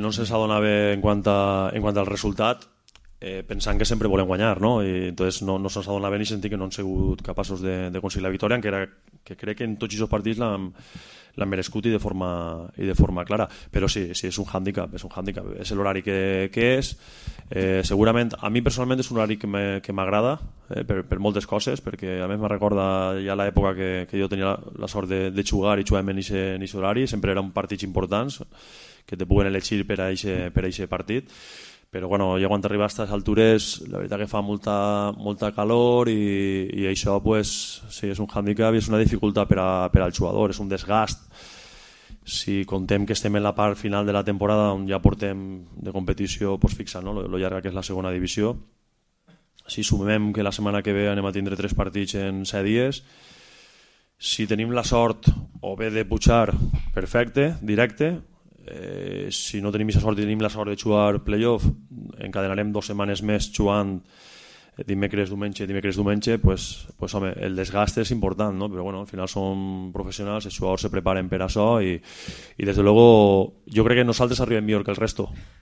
no se'ns adona bé en quant al resultat, pensant que sempre volem guanyar, no? I entonces no se'ns adona bé ni sentir que no han sigut capaços d'aconseguir la victòria, que crec que en tots aquests partits l'han merescut i de forma clara, però sí, és un hàndicap, és l'horari que és. Segurament, a mi personalment és un horari que m'agrada per moltes coses, perquè a més me recorda ja l'època que jo tenia la sort de jugar i jugàvem en aquest horari, sempre eren partits importants que te puguen elegir per a aquest partit, però bueno, ja quan arriba a aquestes altures la veritat que fa molta calor i això pues, sí, és un hàndicap i és una dificultat per al jugador, és un desgast. Si contem que estem en la part final de la temporada on ja portem de competició pues, fixa, no? Lo llarga que és la segona divisió, si sumem que la setmana que ve anem a tindre 3 partits en 7 dies, si tenim la sort o bé de pujar, perfecte, directe. Si no tenim aquesta sort i tenim la sort de jugar playoff, encadenarem 2 setmanes més jugant dimecres, diumenge, pues home, el desgast és important, no? Però bueno, al final som professionals, els jugadors se preparen per això i des de luego jo crec que nosaltres arribem millor que el resto,